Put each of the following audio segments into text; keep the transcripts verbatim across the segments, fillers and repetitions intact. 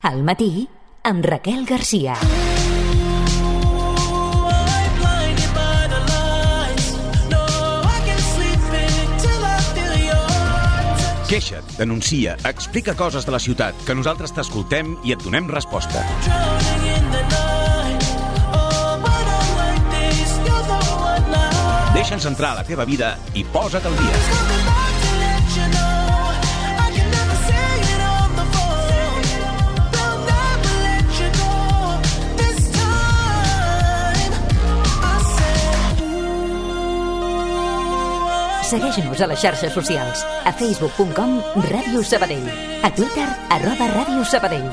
Al matí, amb Raquel Garcia. Queixa't, denuncia, explica coses de la ciutat, que nosaltres t'escoltem i et donem resposta. Deixa'ns entrar a la teva vida i posa't al dia. Segueix-nos a les xarxes socials. A facebook punt com Ràdio Sabadell. A Twitter, arroba Ràdio Sabadell.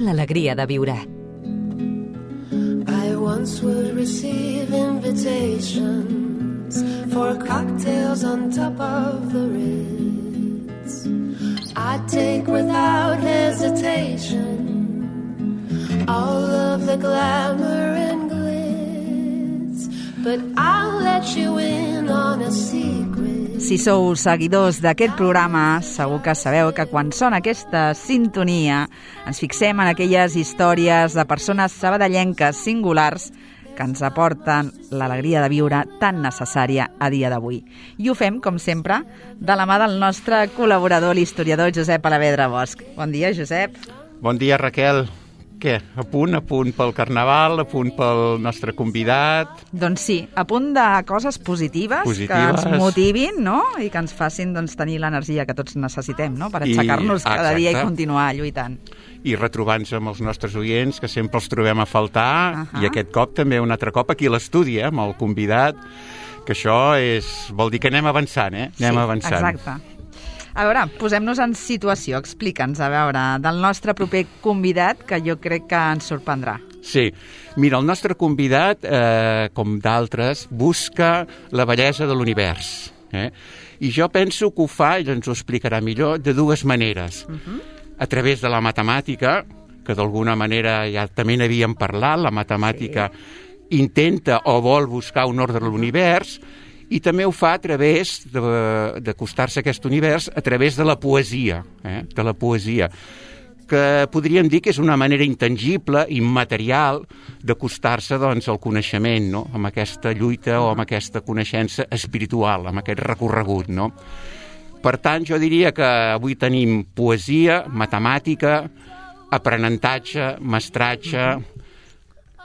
L'alegria de viure. I once would receive invitations for cocktails on top of the Ritz. I'd take without hesitation all of the glamour and glitz, but I'll let you in on a secret. Si sou seguidors d'aquest programa, segur que sabeu que quan sona aquesta sintonia ens fixem en aquelles històries de persones sabadellenques singulars que ens aporten l'alegria de viure tan necessària a dia d'avui. I ho fem, com sempre, de la mà del nostre col·laborador, l'historiador Josep Alavedra Bosch. Bon dia, Josep. Bon dia, Raquel. Què? A punt, a punt pel Carnaval, a punt pel nostre convidat? Doncs sí, a punt de coses positives, positives. que ens motivin, no? I que ens facin doncs, tenir l'energia que tots necessitem, no? Per aixecar-nos I, cada dia i continuar lluitant. I retrobar-nos amb els nostres oients, que sempre els trobem a faltar, uh-huh. I aquest cop també un altre cop aquí a l'estudi, eh, amb el convidat, que això és, vol dir que anem avançant, eh? Anem sí, avançant. Exacte. A veure, posem-nos en situació, explica'ns, a veure, del nostre proper convidat, que jo crec que ens sorprendrà. Sí, mira, el nostre convidat, eh, com d'altres, busca la bellesa de l'univers. Eh? I jo penso que ho fa, i ens ho explicarà millor, de dues maneres. Uh-huh. A través de la matemàtica, que d'alguna manera ja també n'havíem parlat, la matemàtica sí. intenta o vol buscar un ordre de l'univers, i també ho fa a través d'acostar-se a aquest univers a través de la poesia, eh? de la poesia, que podríem dir que és una manera intangible, immaterial, d'acostar-se doncs, al coneixement, no? Amb aquesta lluita o amb aquesta coneixença espiritual, amb aquest recorregut. No? Per tant, jo diria que avui tenim poesia, matemàtica, aprenentatge, mestratge,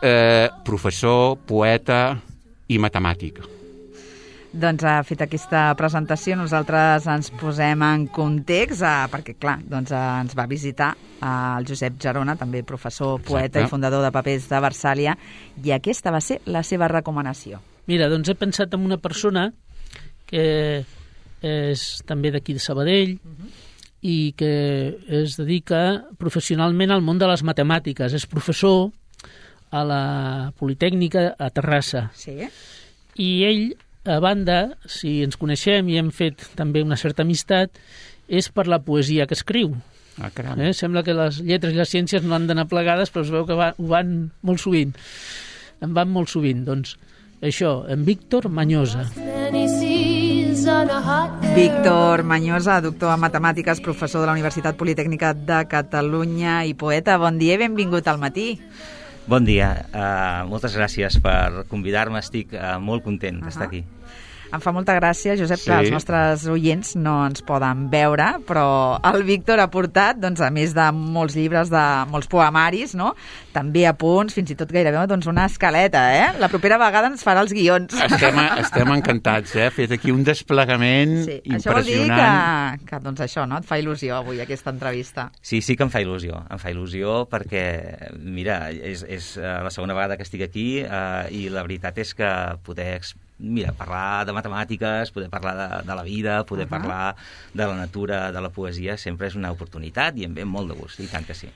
eh, professor, poeta i matemàtic. Doncs ha fet aquesta presentació, nosaltres ens posem en context, eh, perquè clar, doncs, eh, ens va visitar eh, el Josep Gerona, també professor, poeta Exacte. I fundador de Papers de Versàlia, i aquesta va ser la seva recomanació. Mira, doncs he pensat en una persona que és també d'aquí de Sabadell uh-huh. i que es dedica professionalment al món de les matemàtiques. És professor a la Politècnica a Terrassa. Sí. I ell, a banda, si ens coneixem i hem fet també una certa amistat, és per la poesia que escriu. Ah, caram. Eh? Sembla que les lletres i les ciències no han d'anar plegades, però es veu que va, ho van molt sovint. En van molt sovint. Doncs això, en Víctor Mañosa. Víctor Mañosa, doctor en matemàtiques, professor de la Universitat Politècnica de Catalunya i poeta. Bon dia i benvingut al matí. Bon dia, uh, moltes gràcies per convidar-me, estic uh, molt content uh-huh. d'estar aquí. Em fa molta gràcia, Josep, sí. que els nostres oients no ens poden veure, però el Víctor ha portat, doncs, a més de molts llibres, de molts poemaris, no? També apunts, fins i tot gairebé doncs, una escaleta, eh? La propera vegada ens farà els guions. Estem, estem encantats, eh? Ha fet aquí un desplegament sí. impressionant. Això vol dir que, que doncs això, no? Et fa il·lusió avui, aquesta entrevista. Sí, sí que em fa il·lusió. Em fa il·lusió perquè, mira, és, és la segona vegada que estic aquí eh, i la veritat és que poder mira, parlar de matemàtiques, poder parlar de, de la vida, poder uh-huh. parlar de la natura, de la poesia, sempre és una oportunitat i em ve molt de gust, i tant que sí.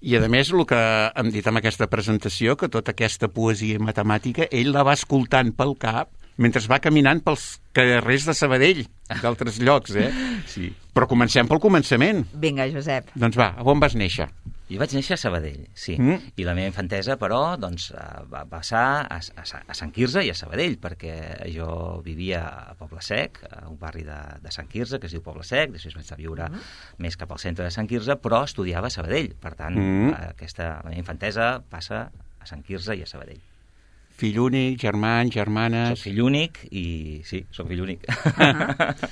I a més, el que hem dit amb aquesta presentació, que tota aquesta poesia matemàtica, ell la va escoltant pel cap mentre va caminant pels carrers de Sabadell, d'altres llocs, eh? Sí. Però comencem pel començament. Vinga, Josep. Doncs va, on vas néixer? Jo vaig néixer a Sabadell, sí. Mm. I la meva infantesa, però, doncs, va passar a, a, a Sant Quirze i a Sabadell, perquè jo vivia a Poble Sec, a un barri de, de Sant Quirze, que es diu Poble Sec, després vaig a viure mm. més cap al centre de Sant Quirze, però estudiava a Sabadell. Per tant, mm. aquesta, la meva infantesa passa a Sant Quirze i a Sabadell. Fill únic, germans, germanes... Soc fill únic i... Sí, soc fill únic. Uh-huh.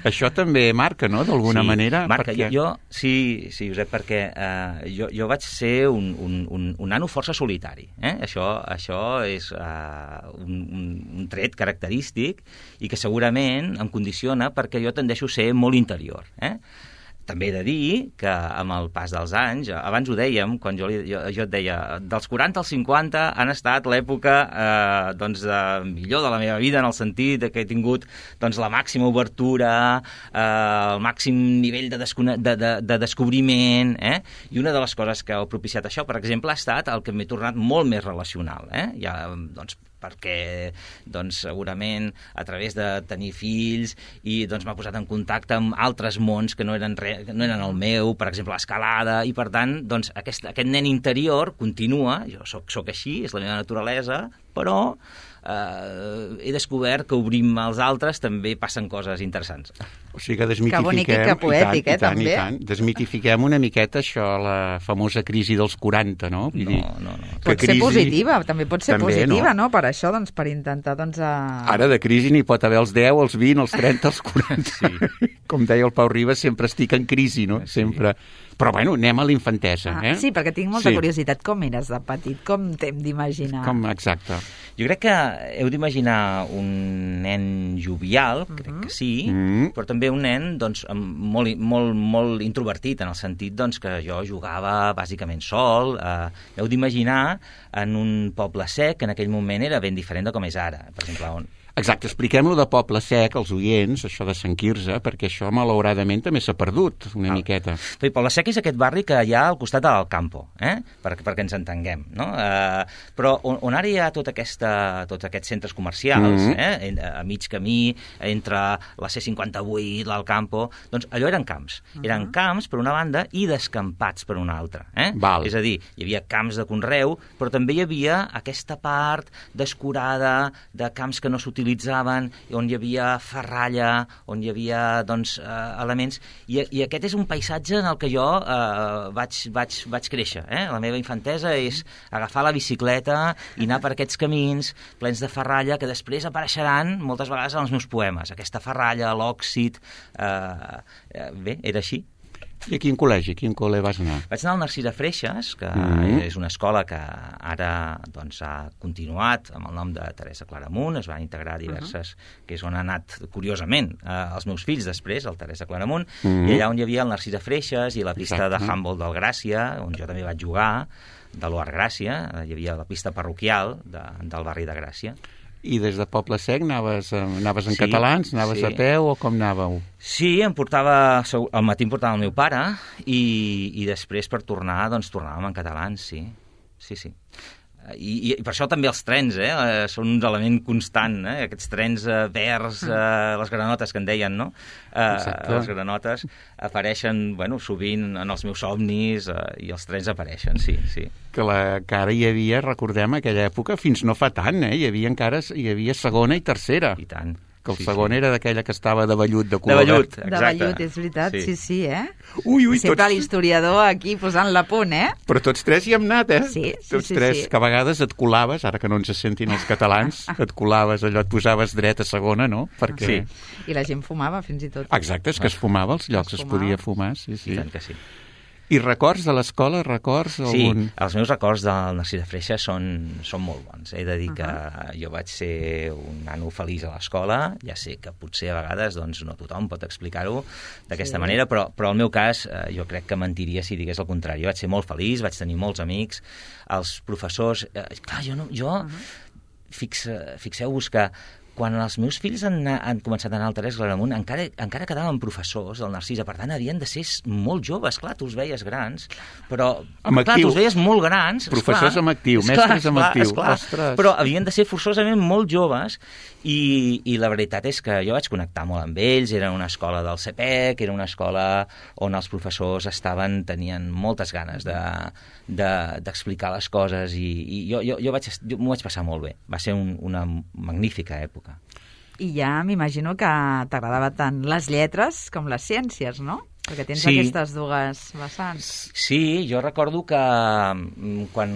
Això també marca, no?, d'alguna sí, manera. Marca, perquè... jo, sí, sí, Josep, perquè eh, jo, jo vaig ser un, un, un, un nano força solitari. Eh? Això, això és eh, un, un, un tret característic i que segurament em condiciona perquè jo tendeixo a ser molt interior. Eh? També he de dir que amb el pas dels anys, abans ho dèiem, quan jo, jo, jo et deia, dels quaranta als cinquanta han estat l'època eh, doncs, de, millor de la meva vida, en el sentit de que he tingut doncs, la màxima obertura, eh, el màxim nivell de, de, de, de descobriment, eh? I una de les coses que ha propiciat això, per exemple, ha estat el que m'he tornat molt més relacional. Eh? Ja, doncs, perquè doncs, segurament a través de tenir fills i doncs, m'ha posat en contacte amb altres mons que no eren, re, que no eren el meu, per exemple l'escalada, i per tant doncs, aquest, aquest nen interior continua, jo soc, soc així, és la meva naturalesa, però eh, he descobert que obrim als altres també passen coses interessants. O sigui que desmitifiquem... Que bonic i que poètic, i tant, eh, també. I tant, desmitifiquem una miqueta això, la famosa crisi dels quaranta, no? Vull No, dir, no, no. Pot crisi... ser positiva, també pot ser També, positiva, no? no? Per això, doncs, per intentar, doncs... A... Ara de crisi n'hi pot haver els deu, els vint, els trenta, els quaranta. Sí. Com deia el Pau Ribas, sempre estic en crisi, no? Sí. Sempre... Però, bueno, anem a l'infantesa, Ah, eh? sí, perquè tinc molta Sí. curiositat. Com eres de petit? Com t'hem d'imaginar? Com, exacte. Jo crec que heu d'imaginar un nen jovial, crec que sí, Mm. però també un nen doncs, amb molt, molt, molt introvertit, en el sentit doncs, que jo jugava bàsicament sol. Eh, heu d'imaginar en un poble sec, que en aquell moment era ben diferent de com és ara. Per exemple, on... Exacte, expliquem-lo de Poble Sec als oients, això de Sant Quirze, perquè això, malauradament, també s'ha perdut una Ah. miqueta. Bé, Poble Sec és aquest barri que hi ha al costat del Campo, eh? per, perquè ens entenguem. No? Eh, però on, on ara hi ha tot aquesta, tots aquests centres comercials, Mm-hmm. eh? En, a mig camí, entre la C cinquanta-vuit, l'Alcampo, doncs allò eren camps. Uh-huh. Eren camps per una banda i descampats per una altra. Eh? Val. És a dir, hi havia camps de conreu, però també hi havia aquesta part descurada de camps que no s'utilitzaven, on hi havia ferralla, on hi havia doncs, eh, elements, i, i aquest és un paisatge en el que jo eh, vaig, vaig, vaig créixer. Eh? La meva infantesa és agafar la bicicleta i anar per aquests camins plens de ferralla que després apareixeran moltes vegades en els meus poemes. Aquesta ferralla, l'òxid... Eh, eh, bé, era així. I a quin col·legi, a quin col·le vas anar? Vaig anar al Narcís de Freixes, que Mm. és una escola que ara doncs, ha continuat amb el nom de Teresa Claramunt, es van integrar diverses, uh-huh. que és on han anat, curiosament, eh, els meus fills després, el Teresa Claramunt, Mm. i allà on hi havia el Narcís de Freixes i la pista Exacte. de handball del Gràcia, on jo també vaig jugar, de l'O A R Gràcia, hi havia la pista parroquial de, del barri de Gràcia. I des de Poble Sec anaves, eh, anaves en Sí, catalans, anaves sí. a peu o com anàveu? Sí, em portava, al matí em portava el meu pare i, i després per tornar, doncs tornàvem en catalans, sí. Sí, sí. I, I per això també els trens, eh? eh són un element constant, eh? Aquests trens eh, verds, eh, les granotes que en deien, no? Eh, Exacte. les granotes apareixen, bueno, sovint en els meus somnis eh, i els trens apareixen, sí, sí. Que, la, que ara hi havia, recordem, aquella època, fins no fa tant, eh? Hi havia encara hi havia segona i tercera. I tant. Que el Sí, segon sí. era d'aquella que estava de vellut, de De color vellut, verd. De exacte. vellut, és veritat, sí, sí, sí eh? Ui, ui, Sempre tots... l'historiador aquí posant la punt, eh? Però tots tres hi hem anat, eh? Sí, sí, tots sí, tres, sí. que a vegades et colaves, ara que no ens sentin els catalans, et colaves allò, et posaves dret a segona, no? Perquè... Sí. I la gent fumava, fins i tot. Exacte, és que es fumava, als llocs Es es, fumava. podia fumar, sí, I sí. tant que sí. I records de l'escola, records Sí, algun... els meus records del Narcís de Freixa són, són molt bons. He de dir que jo vaig ser un nano feliç a l'escola, ja sé que potser a vegades doncs, no tothom pot explicar-ho d'aquesta Sí. manera, però, però el meu cas eh, jo crec que mentiria si digués el contrari. Jo vaig ser molt feliç, vaig tenir molts amics, els professors... Eh, clar, jo no... Jo, Uh-huh. fix, fixeu-vos que quan els meus fills han, han començat a anar al Teresa Claramunt, encara, encara quedaven professors del Narcisa, per tant, havien de ser molt joves, clar, tu els veies grans, però, amb clar, actiu. tu els veies molt grans. Professors esclar, amb actiu, esclar, mestres amb esclar, actiu. Esclar, Ostres. però havien de ser forçosament molt joves, i, i la veritat és que jo vaig connectar molt amb ells, era una escola del C P E C, era una escola on els professors estaven, tenien moltes ganes de, de, d'explicar les coses, i, i jo, jo, jo, vaig, jo m'ho vaig passar molt bé. Va ser un, una magnífica època. I ja m'imagino que t'agradava tant les lletres com les ciències, no? Perquè tens sí. aquestes dues vessants. Sí, jo recordo que quan,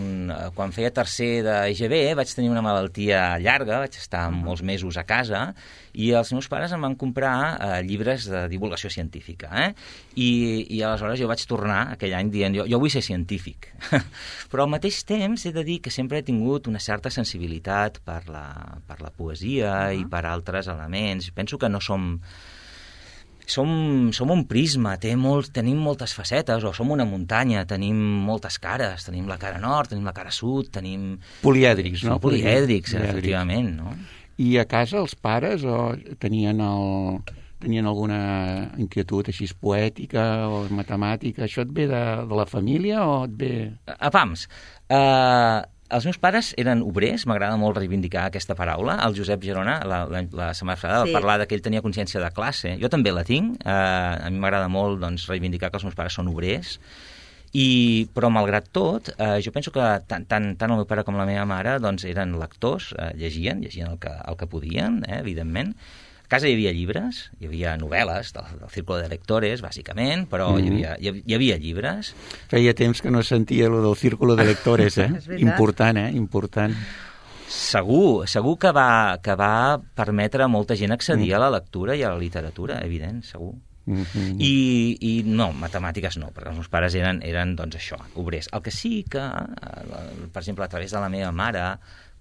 quan feia tercer de I G B vaig tenir una malaltia llarga, vaig estar uh-huh. molts mesos a casa, i els meus pares em van comprar eh, llibres de divulgació científica. Eh? I, I aleshores jo vaig tornar aquell any dient, jo, jo vull ser científic. Però al mateix temps he de dir que sempre he tingut una certa sensibilitat per la, per la poesia uh-huh. i per altres elements. Penso que no som... Som, som un prisma, té molt, tenim moltes facetes, o som una muntanya, tenim moltes cares, tenim la cara nord, tenim la cara sud, tenim... Polièdrics, no? Polièdrics, efectivament, no? I a casa els pares o tenien, el, tenien alguna inquietud així poètica o matemàtica? Això et ve de, de la família o et ve... A pams, eh... Els meus pares eren obrers, m'agrada molt reivindicar aquesta paraula. El Josep Gerona, la, la, la setmana passada, sí. va parlar que ell tenia consciència de classe. Jo també la tinc. Eh, a mi m'agrada molt doncs, reivindicar que els meus pares són obrers. I, però, malgrat tot, eh, jo penso que tant, tant, tant el meu pare com la meva mare doncs, eren lectors, eh, llegien, llegien el que, el que podien, eh, evidentment. A casa hi havia llibres, hi havia novel·les del, del Círculo de Lectores, bàsicament, però mm-hmm. hi, havia, hi havia llibres. Feia temps que no sentia el del Círculo de Lectores, eh? Important, eh? Important. Segur, segur que va, que va permetre a molta gent accedir mm. a la lectura i a la literatura, evident, segur. Mm-hmm. I, I no, matemàtiques no, perquè els meus pares eren, eren doncs això, obrers. El que sí que, per exemple, a través de la meva mare,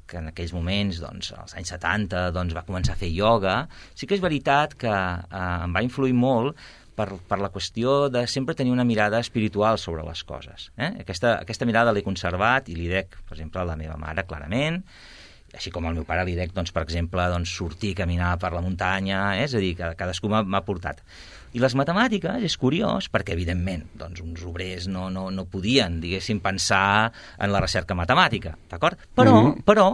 que en aquells moments, doncs, als anys setanta, doncs, va començar a fer ioga, sí que és veritat que eh, em va influir molt per, per la qüestió de sempre tenir una mirada espiritual sobre les coses. Eh? Aquesta, aquesta mirada l'he conservat i li dec, per exemple, a la meva mare, clarament, així com al meu pare li dec, doncs, per exemple, doncs, sortir a caminar per la muntanya, eh? És a dir, que cadascú m'ha portat. I les matemàtiques és curiós perquè, evidentment, doncs, uns obrers no, no, no podien, diguéssim, pensar en la recerca matemàtica, d'acord? Però, mm-hmm. però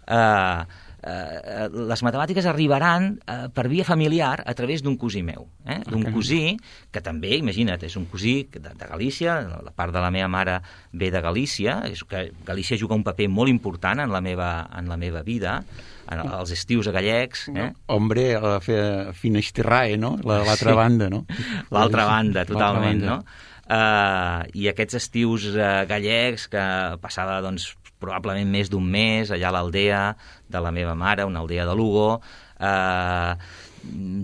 eh, eh, les matemàtiques arribaran eh, per via familiar a través d'un cosí meu, eh? d'un okay. cosí que també, imagina't, és un cosí de, de Galícia, la part de la meva mare ve de Galícia, és que Galícia juga un paper molt important en la meva, en la meva vida, als estius a gallecs. Eh? Hombre, a la Finisterrae, no? L'altra sí. banda, no? L'altra banda, totalment, banda. no? Uh, I aquests estius uh, gallecs que passava, doncs, probablement més d'un mes allà a l'aldea de la meva mare, una aldea de Lugo, uh,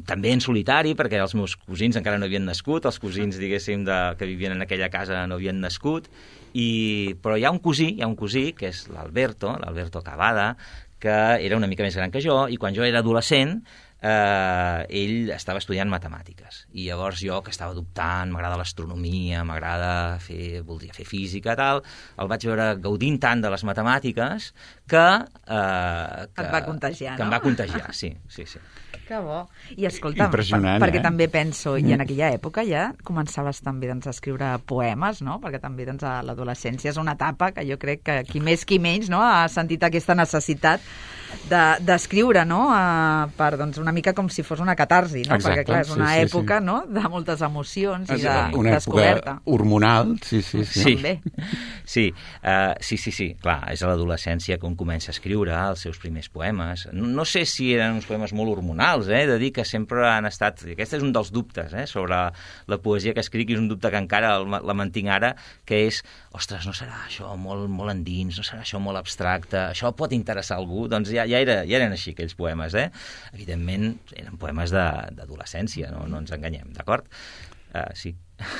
també en solitari, perquè els meus cosins encara no havien nascut, els cosins, diguéssim, de, que vivien en aquella casa no havien nascut, i, però hi ha un cosí, hi ha un cosí, que és l'Alberto, l'Alberto Cavada, que era una mica més gran que jo, i quan jo era adolescent, eh, ell estava estudiant matemàtiques. I llavors jo, que estava dubtant, m'agrada l'astronomia, m'agrada fer, voldria fer física, tal, el vaig veure gaudint tant de les matemàtiques que... Eh, que et va contagiar, que no? em va contagiar, sí, sí, sí. Que bo. I escolta'm, per, perquè eh? també penso, i en aquella època ja començaves també doncs, a escriure poemes, no? Perquè també doncs, a l'adolescència és una etapa que jo crec que qui més qui menys no? ha sentit aquesta necessitat d'escriure, de, no? Uh, per doncs, una mica com si fos una catarsi, no? Exacte, perquè clar, és una sí, sí, època sí. no? de moltes emocions és i de una descoberta. Època hormonal, sí, sí, sí. Sí, també. sí, uh, sí, sí, sí, clar, és a l'adolescència que un comença a escriure els seus primers poemes. No, no sé si eren uns poemes molt hormonals, eh? De dir que sempre han estat... Aquest és un dels dubtes, eh? Sobre la poesia que escric, i és un dubte que encara la mantinc ara, que és, ostres, no serà això molt, molt endins, no serà això molt abstracte, això pot interessar a algú? Doncs ja, ja, era, ja eren així aquells poemes, eh? Evidentment, eren poemes d'adolescència, no, no ens enganyem, d'acord? Uh, sí.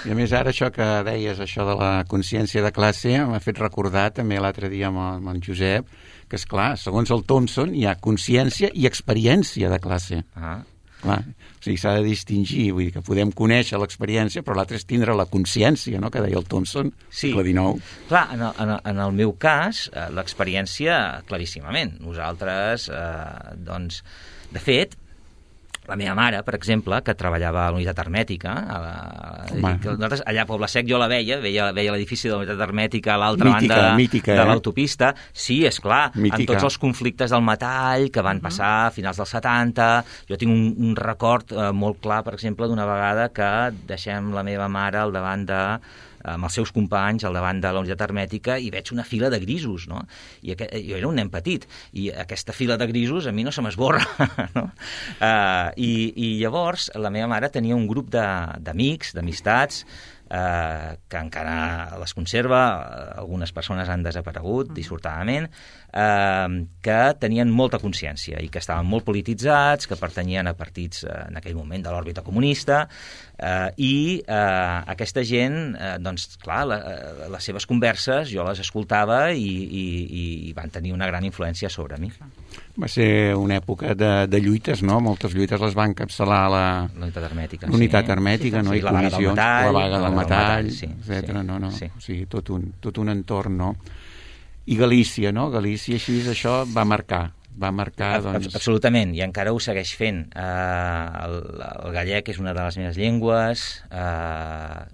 I a més ara això que deies, això de la consciència de classe, m'ha fet recordar també l'altre dia amb, amb en Josep, que és clar, segons el Thompson hi ha consciència i experiència de classe. Ah. Clar, o sigui, s'ha de distingir, vull dir que podem conèixer l'experiència, però l'altre és tindre la consciència, no?, que deia el Thompson, sí. segle dinou. Clar, en el, en, el, en el meu cas, eh, l'experiència, claríssimament. Nosaltres, eh, doncs, de fet, la meva mare, per exemple, que treballava a la unitat hermètica, a la, que nosaltres, allà a Poble Sec jo la veia, veia, veia l'edifici de la unitat hermètica a l'altra banda mítica, de eh? l'autopista. Sí, és clar, amb tots els conflictes del metall que van passar a finals dels setanta. Jo tinc un, un record eh, molt clar, per exemple, d'una vegada que deixem la meva mare al davant de amb els seus companys al davant de la unitat hermètica i veig una fila de grisos, no? I aquest, jo era un nen petit, i aquesta fila de grisos a mi no se m'esborra, no? Uh, i, I llavors la meva mare tenia un grup d'amics, d'amistats, eh, que encara les conserva, algunes persones han desaparegut, dissortadament, eh, que tenien molta consciència i que estaven molt polititzats, que pertanyien a partits eh, en aquell moment de l'òrbita comunista, eh, i eh, aquesta gent, eh, doncs, clar, la, les seves converses jo les escoltava i, i, i van tenir una gran influència sobre mi. Va ser una època de, de lluites, no? Moltes lluites les va encapçalar la... La unitat hermètica, L'unitat sí. hermètica, sí, no? Sí, I la vaga del metall, la vaga del metall, sí, etcètera. sí, No, no. sí. O sigui, tot un, tot un entorn, no? I Galícia, no? Galícia, així, això va marcar. Va marcar, doncs... Absolutament, i encara ho segueix fent. Uh, el, el gallec és una de les meves llengües. Uh...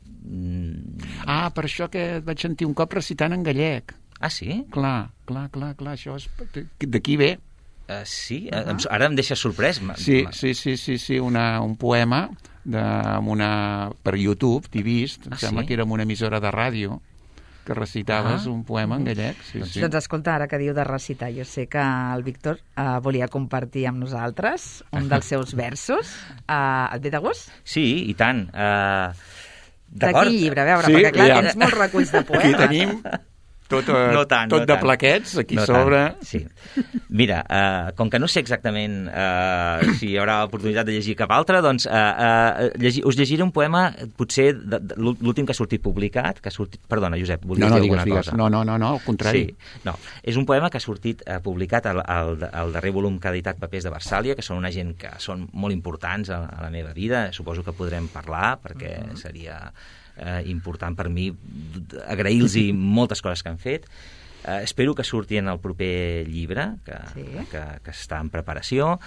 Ah, per això que et vaig sentir un cop recitant en gallec. Ah, sí? Clar, clar, clar, clar, això és... D'aquí ve. Uh, sí? Uh -huh. Ara em deixes sorprès. Sí, sí, sí, sí, sí, una, un poema de, amb una, per YouTube, t'he vist, em ah, sembla sí? que era amb una emissora de ràdio, que recitaves ah. un poema en gallec. Sí, doncs, sí. doncs escolta, ara que diu de recitar, jo sé que el Víctor uh, volia compartir amb nosaltres un dels seus versos. Uh, et ve de gust? Sí, i tant. Uh, de quin llibre? A veure, sí, perquè clar, ja. tens molts reculls de poemes. Aquí tenim tot, uh, no tant, tot no de tant. plaquets, aquí no sobre... Tant. Sí. Mira, uh, com que no sé exactament uh, si hi haurà oportunitat de llegir cap altre, doncs uh, uh, llegir, us llegiré un poema, potser de, de, l'últim que ha sortit publicat, que ha sortit... Perdona, Josep, volies no, no, dir digues, alguna digues. cosa? No, no, no, no, al contrari. Sí, no. És un poema que ha sortit uh, publicat al, al, al darrer volum que ha editat Papers de Versàlia, que són una gent que són molt importants a, a la meva vida, suposo que podrem parlar, perquè uh-huh. seria uh, important per mi agrair-los moltes coses que han fet. Uh, espero que surti en el proper llibre, que, sí. que, que està en preparació,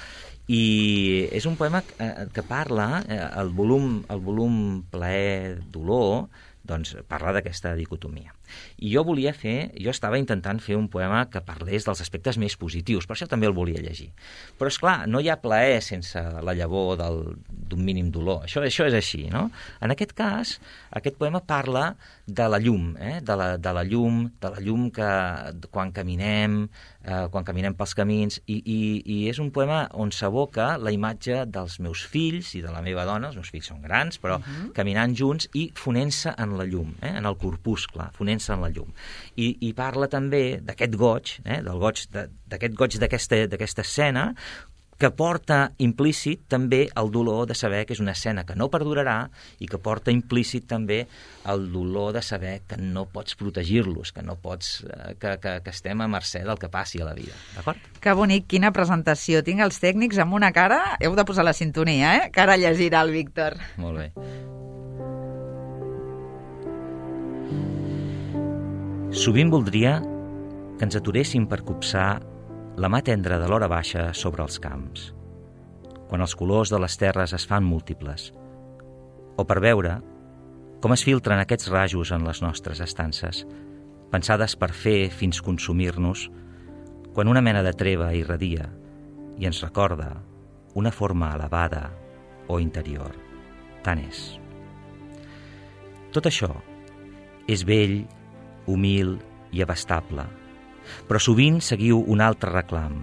i és un poema que, que parla, eh, el volum, el volum Plaer, Dolor, doncs parla d'aquesta dicotomia. I jo volia fer, jo estava intentant fer un poema que parlés dels aspectes més positius, per això també el volia llegir. Però, és clar, no hi ha plaer sense la llavor del, d'un mínim dolor. Això, això és així, no? En aquest cas, aquest poema parla de la llum, eh? de, la, de la llum, de la llum que quan caminem, eh, quan caminem pels camins, i, i, i és un poema on s'aboca la imatge dels meus fills i de la meva dona, els meus fills són grans, però uh-huh. caminant junts i fonent-se en la llum, eh? en el corpuscle, fonent-se en la llum. I, i parla també d'aquest goig, eh? del goig de, d'aquest goig d'aquesta, d'aquesta escena, que porta implícit també el dolor de saber que és una escena que no perdurarà i que porta implícit també el dolor de saber que no pots protegir-los, que no pots, que, que, que estem a mercè del que passi a la vida. D'acord? Que bonic, quina presentació. Tinc els tècnics amb una cara... Heu de posar la sintonia, eh? Que ara llegirà el Víctor. Molt bé. Sovint voldria que ens aturéssim per copsar la mà tendra de l'hora baixa sobre els camps, quan els colors de les terres es fan múltiples, o per veure com es filtren aquests rajos en les nostres estances, pensades per fer fins consumir-nos, quan una mena de treva irradia i ens recorda una forma elevada o interior. Tant és. Tot això és vell, humil i abastable, però sovint seguiu un altre reclam,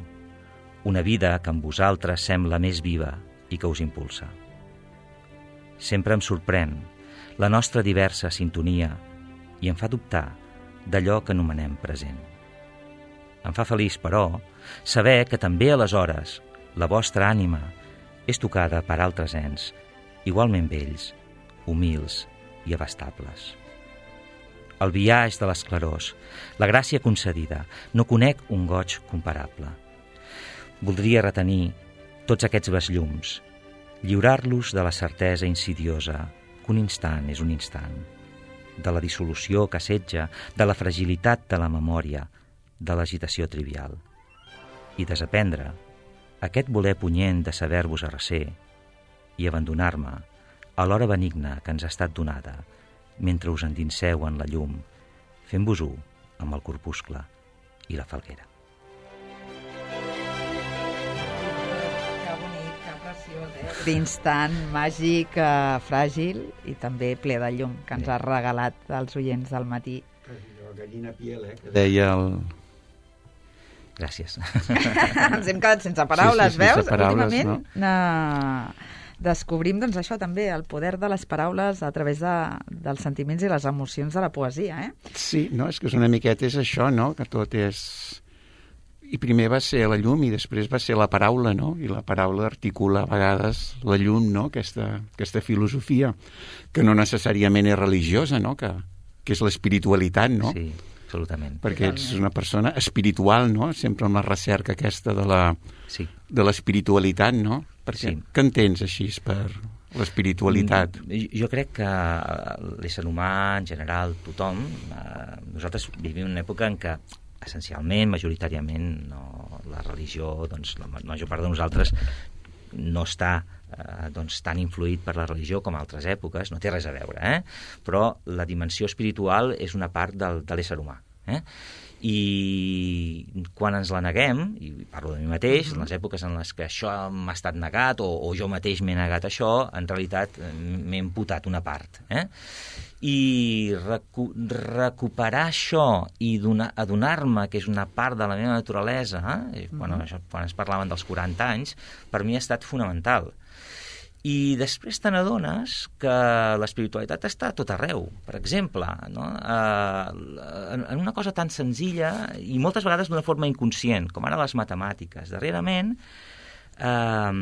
una vida que amb vosaltres sembla més viva i que us impulsa. Sempre em sorprèn la nostra diversa sintonia i em fa dubtar d'allò que anomenem present. Em fa feliç, però, saber que també aleshores la vostra ànima és tocada per altres ens, igualment vells, humils i abastables. El biaix de les clarors, la gràcia concedida, no conec un goig comparable. Voldria retenir tots aquests besllums Lliurar-los de la certesa insidiosa que un instant és un instant, de la dissolució que assetja, de la fragilitat de la memòria, de l'agitació trivial, i desaprendre aquest voler punyent de saber-vos arrecer i abandonar-me a l'hora benigna que ens ha estat donada mentre us endinseu en la llum, fent-vos-ho amb el corpuscle i la falguera. Que bonic, que preciós, eh? D'instant màgic, eh, fràgil i també ple de llum que ens ha regalat als oients del matí. Gallina piel, eh? Que deia el... Gràcies. Ens hem quedat sense paraules, sí, sí, sense veus? paraules, Últimament no? na... descobrim doncs, això també, el poder de les paraules a través de, dels sentiments i les emocions de la poesia. Eh? Sí, no, és que és una miqueta és això, no? Que tot és... I primer va ser la llum i després va ser la paraula, no? I la paraula articula a vegades la llum, no? Aquesta, aquesta filosofia, que no necessàriament és religiosa, no? Que, que és l'espiritualitat, no? Sí, absolutament. Perquè ets una persona espiritual, no? Sempre amb la recerca aquesta de la, sí. de l'espiritualitat, no? Perquè, sí. Què entens així per l'espiritualitat? Jo crec que l'ésser humà, en general, tothom, eh, nosaltres vivim una època en què essencialment, majoritàriament, no, la religió, doncs, la major part de nosaltres no està eh, doncs, tan influït per la religió com altres èpoques, no té res a veure, eh? Però la dimensió espiritual és una part del, de l'ésser humà. Eh? I quan ens la neguem, i parlo de mi mateix, en les èpoques en les que això m'ha estat negat o, o jo mateix m'he negat això, en realitat m'he imputat una part. Eh? I recu recuperar això i adonar-me que és una part de la meva naturalesa, eh? quan, això, quan ens parlaven dels quaranta anys, per mi ha estat fonamental. I després te n'adones que l'espiritualitat està a tot arreu. Per exemple, no? eh, en una cosa tan senzilla i moltes vegades d'una forma inconscient, com ara les matemàtiques. Darrerament eh,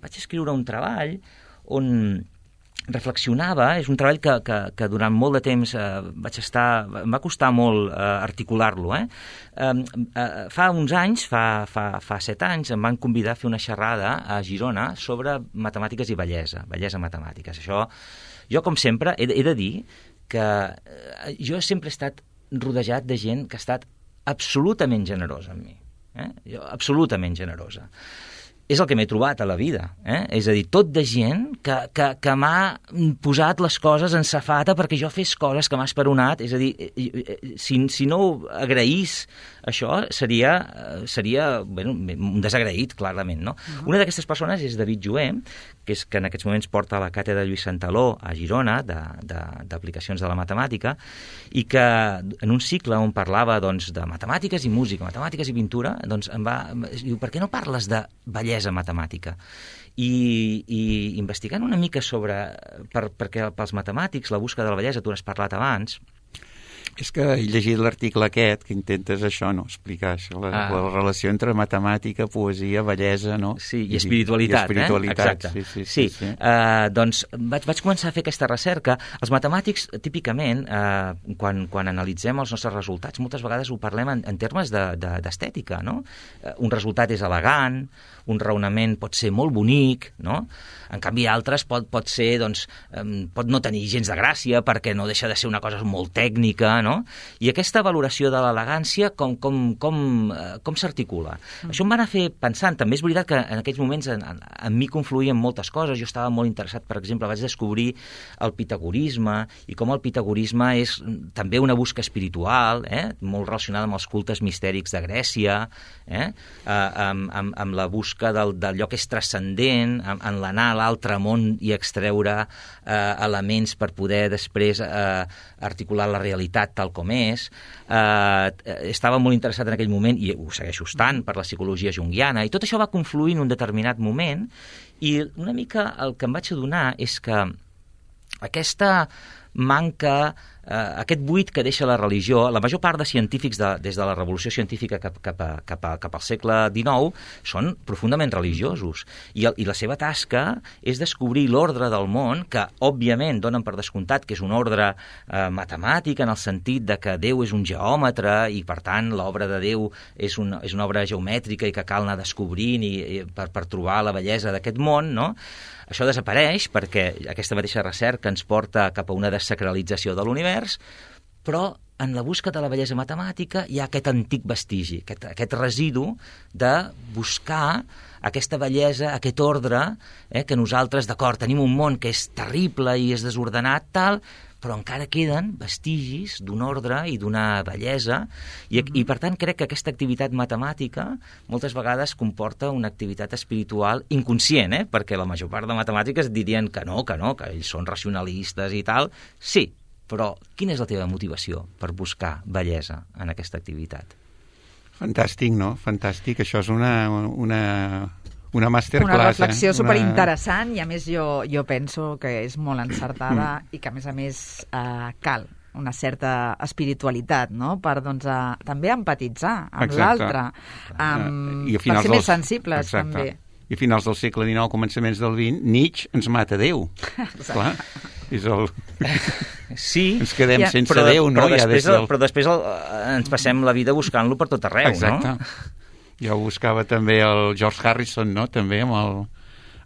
vaig escriure un treball on reflexionava, és un treball que, que, que durant molt de temps eh, vaig estar, em va costar molt eh, articular-lo. Eh? Eh, eh, fa uns anys, fa, fa, fa set anys, em van convidar a fer una xerrada a Girona sobre matemàtiques i bellesa, bellesa matemàtiques. Això, jo com sempre he de, he de dir que eh, jo sempre he estat rodejat de gent que ha estat absolutament generosa amb mi. Eh? Jo, absolutament generosa. És el que m'he trobat a la vida. Eh? És a dir, tot de gent que, que, que m'ha posat les coses en safata perquè jo fes coses que m'ha esperonat. És a dir, si, si no agraís això, seria, seria bueno, un desagraït, clarament. No? Uh-huh. Una d'aquestes persones és David Joé, que és que en aquests moments porta la càtedra Lluís Santaló a Girona, d'aplicacions de, de, de la matemàtica, i que en un cicle on parlava doncs, de matemàtiques i música, matemàtiques i pintura, doncs em va, diu, per què no parles de bellesa matemàtica? I, i investigant una mica sobre, per, perquè pels matemàtics la busca de la bellesa, tu n'has parlat abans. És que he llegit l'article aquest, que intentes això, no? Explicar això, la, ah. la relació entre matemàtica, poesia, bellesa, no? Sí, i espiritualitat, I espiritualitat eh? Exacte. Sí, sí, sí, sí. sí. Uh, doncs vaig, vaig començar a fer aquesta recerca. Els matemàtics, típicament, uh, quan, quan analitzem els nostres resultats, moltes vegades ho parlem en, en termes d'estètica, de, de, no? Uh, un resultat és elegant, un raonament pot ser molt bonic, no? En canvi, altres pot, pot ser, doncs, um, pot no tenir gens de gràcia perquè no deixa de ser una cosa molt tècnica, no? I aquesta valoració de l'elegància, com, com, com, uh, com s'articula? Mm. Això em va anar a fer pensant. També és veritat que en aquells moments en, en, en mi confluïen moltes coses. Jo estava molt interessat, per exemple, vaig descobrir el pitagorisme i com el pitagorisme és també una busca espiritual, eh? Molt relacionada amb els cultes mistèrics de Grècia, eh? uh, amb, amb, amb la busca del, d'allò que és transcendent, en, en l'anar a l'altre món i extreure eh, elements per poder després eh, articular la realitat tal com és. Eh, estava molt interessat en aquell moment, i ho segueixo estant, per la psicologia junguiana, i tot això va confluir en un determinat moment, i una mica el que em vaig adonar és que aquesta manca eh, aquest buit que deixa la religió. La major part de científics de, des de la revolució científica cap, cap, a, cap, a, cap al segle dinou són profundament religiosos i, el, i la seva tasca és descobrir l'ordre del món, que òbviament donen per descomptat que és un ordre eh, matemàtic, en el sentit de que Déu és un geòmetre i per tant l'obra de Déu és una, és una obra geomètrica i que cal anar descobrint i, i per, per trobar la bellesa d'aquest món, no? Això desapareix perquè aquesta mateixa recerca ens porta cap a una desacralització de l'univers, però en la busca de la bellesa matemàtica hi ha aquest antic vestigi, aquest, aquest residu de buscar aquesta bellesa, aquest ordre, eh, que nosaltres, d'acord, tenim un món que és terrible i és desordenat, tal, però encara queden vestigis d'un ordre i d'una bellesa, i, i per tant crec que aquesta activitat matemàtica moltes vegades comporta una activitat espiritual inconscient, eh? Perquè la major part de matemàtiques dirien que no, que no, que ells són racionalistes i tal. Sí, però quina és la teva motivació per buscar bellesa en aquesta activitat? Fantàstic, no? Fantàstic. Això és una... una... Una masterclass. Una reflexió eh? superinteressant i a més jo, jo penso que és molt encertada Mm. i que a més a més eh, cal una certa espiritualitat, no? Per doncs, a, també empatitzar amb Exacte. l'altre, um, I a per finals ser més dels- sensibles Exacte. també. I a finals del segle dinou, començaments del vint, Nietzsche ens mata Déu. Clar, és el... Sí, ens quedem Ja. sense però, de- Déu, no? però Ja després, des del... però després el, ens passem la vida buscant-lo per tot arreu, Exacte. no? Ja ho buscava també el George Harrison, no? També amb el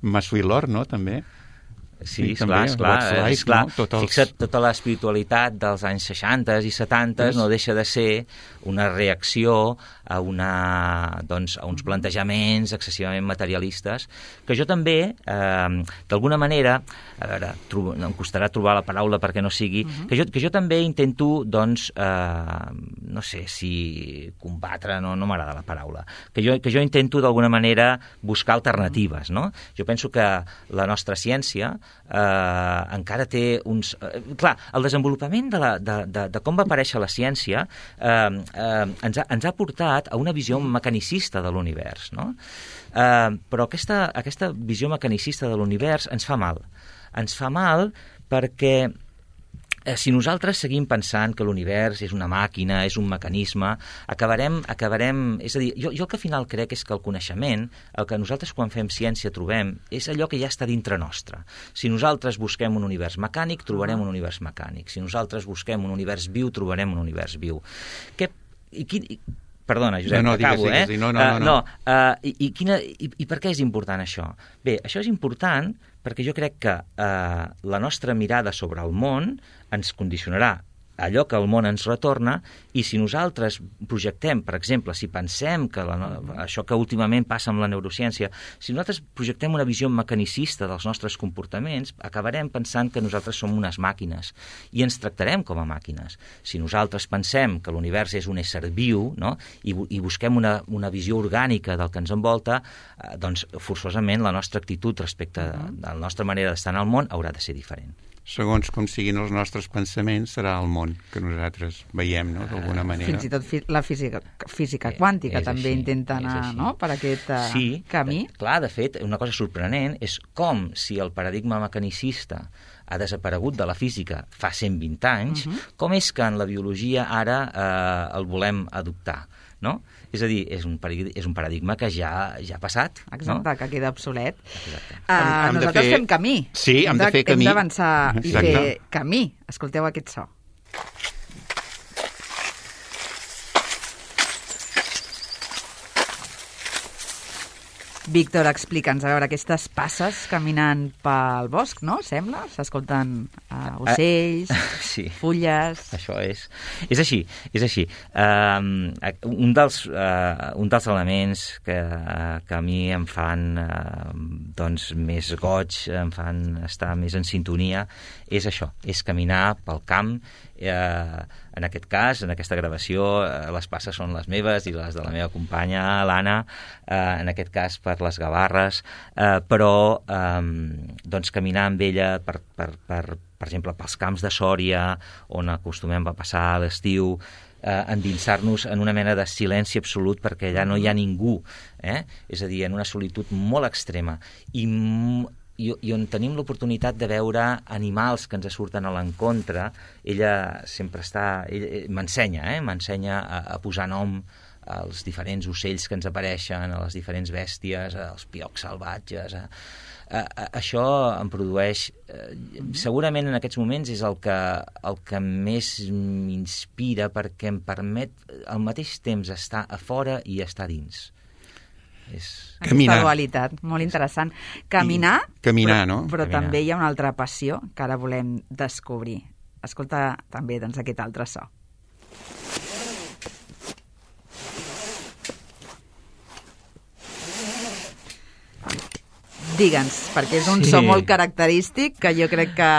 Maswilor, no? També. Sí, Sí, esclar, també, esclar, What's Life, esclar. no? Tots els- Fixa't, tota l'espiritualitat dels anys seixanta i setanta Yes. no deixa de ser una reacció a, una, doncs, a uns plantejaments excessivament materialistes, que jo també, eh, d'alguna manera, a veure, trobo, em costarà trobar la paraula perquè no sigui, uh -huh. que, jo, que jo també intento, doncs, eh, no sé si combatre, no, no m'agrada la paraula, que jo, que jo intento d'alguna manera buscar alternatives, no? Jo penso que la nostra ciència eh, encara té uns... Eh, clar, el desenvolupament de, la, de, de, de com va aparèixer la ciència eh, eh, ens, ha, ens ha portat a una visió mecanicista de l'univers, no? Eh, però aquesta, aquesta visió mecanicista de l'univers ens fa mal. Ens fa mal perquè eh, si nosaltres seguim pensant que l'univers és una màquina, és un mecanisme, acabarem... acabarem és a dir, jo, jo el que al final crec és que el coneixement, el que nosaltres quan fem ciència trobem, és allò que ja està dintre nostre. Si nosaltres busquem un univers mecànic, trobarem un univers mecànic. Si nosaltres busquem un univers viu, trobarem un univers viu. Què... I quin... I... Perdona, Josep, no, no, acabo, digues, eh? digues, no, no, no, uh, no. Uh, i, i, quina, i, I per què és important això? Bé, això és important perquè jo crec que uh, la nostra mirada sobre el món ens condicionarà allò que el món ens retorna, i si nosaltres projectem, per exemple, si pensem que la, això que últimament passa amb la neurociència, si nosaltres projectem una visió mecanicista dels nostres comportaments, acabarem pensant que nosaltres som unes màquines i ens tractarem com a màquines. Si nosaltres pensem que l'univers és un ésser viu, no? I, i busquem una, una visió orgànica del que ens envolta, eh, doncs forçosament la nostra actitud respecte a la nostra manera d'estar en el món haurà de ser diferent. Segons com siguin els nostres pensaments, serà el món que nosaltres veiem, no?, d'alguna manera. Fins i tot fi la física, física Eh, quàntica és també així, intenta és anar, així. no?, per aquest uh, Sí, camí. de- clar, de fet, una cosa sorprenent és com si el paradigma mecanicista ha desaparegut de la física fa cent vint anys, uh -huh. com és que en la biologia ara eh, el volem adoptar, no? És a dir, és un paradigma, és un paradigma que ja ja ha passat, Exacte, no? que queda obsolet. Exacte. Uh, Hem- hem de nosaltres fer- fem camí. Sí, hem de fer camí. Hem d'avançar i Exacte. fer camí. Escolteu aquest so. Víctor, explica'ns, a veure, aquestes passes caminant pel bosc, no? Sembla? S'escolten uh, ocells, Sí. fulles... Això és. És així, és així. Um, un, dels, uh, un dels elements que, uh, que a mi em fan uh, doncs, més goig, em fan estar més en sintonia, és això, és caminar pel camp. Uh, en aquest cas, en aquesta gravació, uh, les passes són les meves i les de la meva companya, l'Anna, uh, en aquest cas per les Gavarres, uh, però um, doncs caminar amb ella per, per, per, per exemple, pels camps de Sòria, on acostumem a passar l'estiu, eh, endinsar-nos en una mena de silenci absolut perquè allà no hi ha ningú, eh? És a dir, en una solitud molt extrema. I i, i on tenim l'oportunitat de veure animals que ens surten a l'encontre, ella sempre està... Ella, m'ensenya, eh? M'ensenya a, a posar nom als diferents ocells que ens apareixen, a les diferents bèsties, als piocs salvatges... A, a, a, això em produeix... Eh, segurament en aquests moments és el que, el que més m'inspira, perquè em permet al mateix temps estar a fora i estar dins. És... Aquesta dualitat, molt interessant. Caminar, I, caminar però, no? però Caminar. també hi ha una altra passió que ara volem descobrir. Escolta també doncs, aquest altre so. Digue'ns, perquè és un Sí. so molt característic que jo crec que...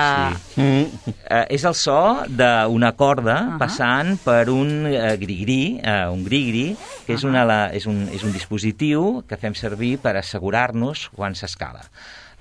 Sí. Mm. Uh, és el so d'una corda uh -huh. passant per un uh, grigri, uh, un grigri, que uh -huh. és, una, la, és, un, és un dispositiu que fem servir per assegurar-nos quan s'escala.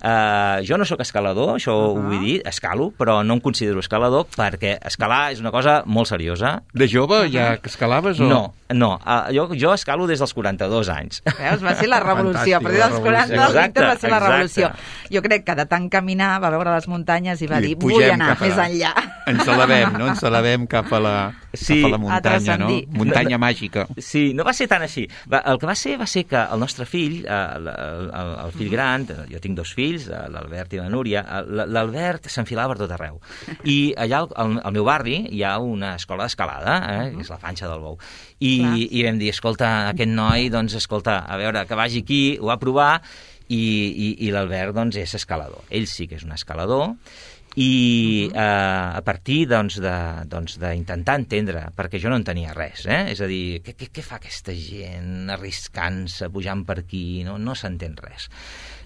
Uh, jo no sóc escalador, això uh -huh. ho vull dir, escalo, però no em considero escalador perquè escalar és una cosa molt seriosa. De jove uh -huh. ja escalaves o...? No, no. Uh, jo, jo escalo des dels quaranta-dos anys. Veus, va ser la revolució. A partir dels quaranta, el Víctor va ser la revolució. Jo crec que de tant caminar va veure les muntanyes i va dir, vull anar més enllà. Ens elevem, no? Ens elevem cap a la, sí, cap a la muntanya, no? Muntanya no, màgica. Sí, no va ser tan així. Va, el que va ser va ser que el nostre fill, el, el, el fill gran, jo tinc dos fills, l'Albert i la Núria, l'Albert s'enfilava per tot arreu. I allà al, al meu barri hi ha una escola d'escalada, eh, que és la Fanxa del Bou. I, i vam dir, escolta, aquest noi, doncs, escolta, a veure, que vagi aquí, ho va provar, i, i, i l'Albert, doncs, és escalador. Ell sí que és un escalador, i uh, a partir doncs, de, doncs, d'intentar entendre, perquè jo no en tenia res, eh? És a dir, què, què, què fa aquesta gent arriscant-se, pujant per aquí, no, no s'entén res.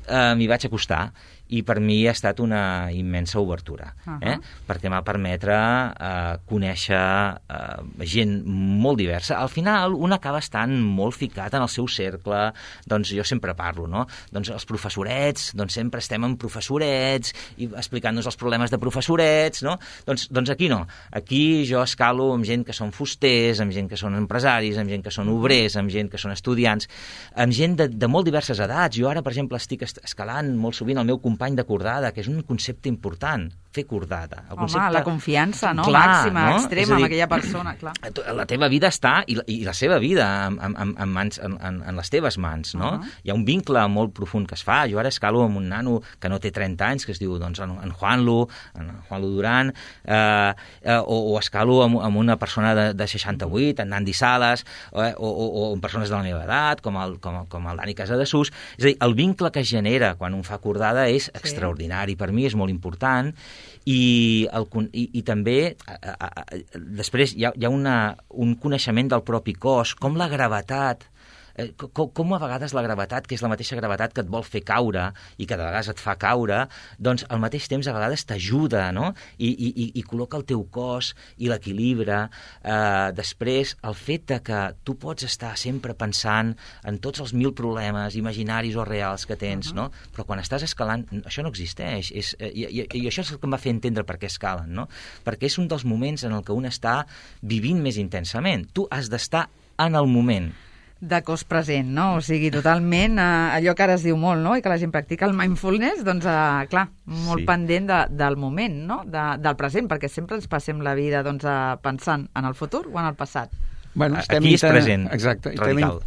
Uh, m'hi vaig acostar i per mi ha estat una immensa obertura, uh-huh. eh? perquè m'ha permetre uh, conèixer uh, gent molt diversa. Al final, un acaba estant molt ficat en el seu cercle, doncs jo sempre parlo, no? Doncs els professorets, doncs sempre estem amb professorets i explicant-nos els problemes de professorets, no? Doncs, doncs aquí no. Aquí jo escalo amb gent que són fusters, amb gent que són empresaris, amb gent que són obrers, amb gent que són estudiants, amb gent de, de molt diverses edats. Jo ara, per exemple, estic escalant molt sovint el meu company de cordada, que és un concepte important, fer cordada. El Home, concepte... la confiança, no? Clar, Màxima, no? extrema, dir, amb aquella persona, clar. La teva vida està, i la, i la seva vida, en, en, en, mans, en, en les teves mans, no? Uh -huh. Hi ha un vincle molt profund que es fa. Jo ara escalo amb un nano que no té trenta anys, que es diu, doncs, en, en Juanlu, en Juanlu Duran, eh, eh, o, o escalo amb, amb una persona de, de seixanta-vuit, en Nandi Sales, eh, o, o, o amb persones de la meva edat, com el, com, com el Dani Casadesús. És a dir, el vincle que es genera quan un fa cordada és sí. extraordinari. Per mi és molt important. I, el, i, i també a, a, a, després hi ha, hi ha una, un coneixement del propi cos, com la gravetat, eh, com, com a vegades la gravetat, que és la mateixa gravetat que et vol fer caure i que de vegades et fa caure, doncs al mateix temps a vegades t'ajuda, no? I, i, i col·loca el teu cos i l'equilibra. Eh, després, el fet de que tu pots estar sempre pensant en tots els mil problemes imaginaris o reals que tens, uh-huh. no? Però quan estàs escalant, això no existeix. És, eh, i, i, I això és el que em va fer entendre per què escalen, no? Perquè és un dels moments en el que un està vivint més intensament. Tu has d'estar en el moment. De cos present, no? O sigui, totalment, eh, allò que ara es diu molt, no? I que la gent practica el mindfulness, doncs, eh, clar, molt sí. pendent de, del moment, no? De, del present, perquè sempre ens passem la vida, doncs, eh, pensant en el futur o en el passat. Bueno, estem Aquí és present, exacte, radical.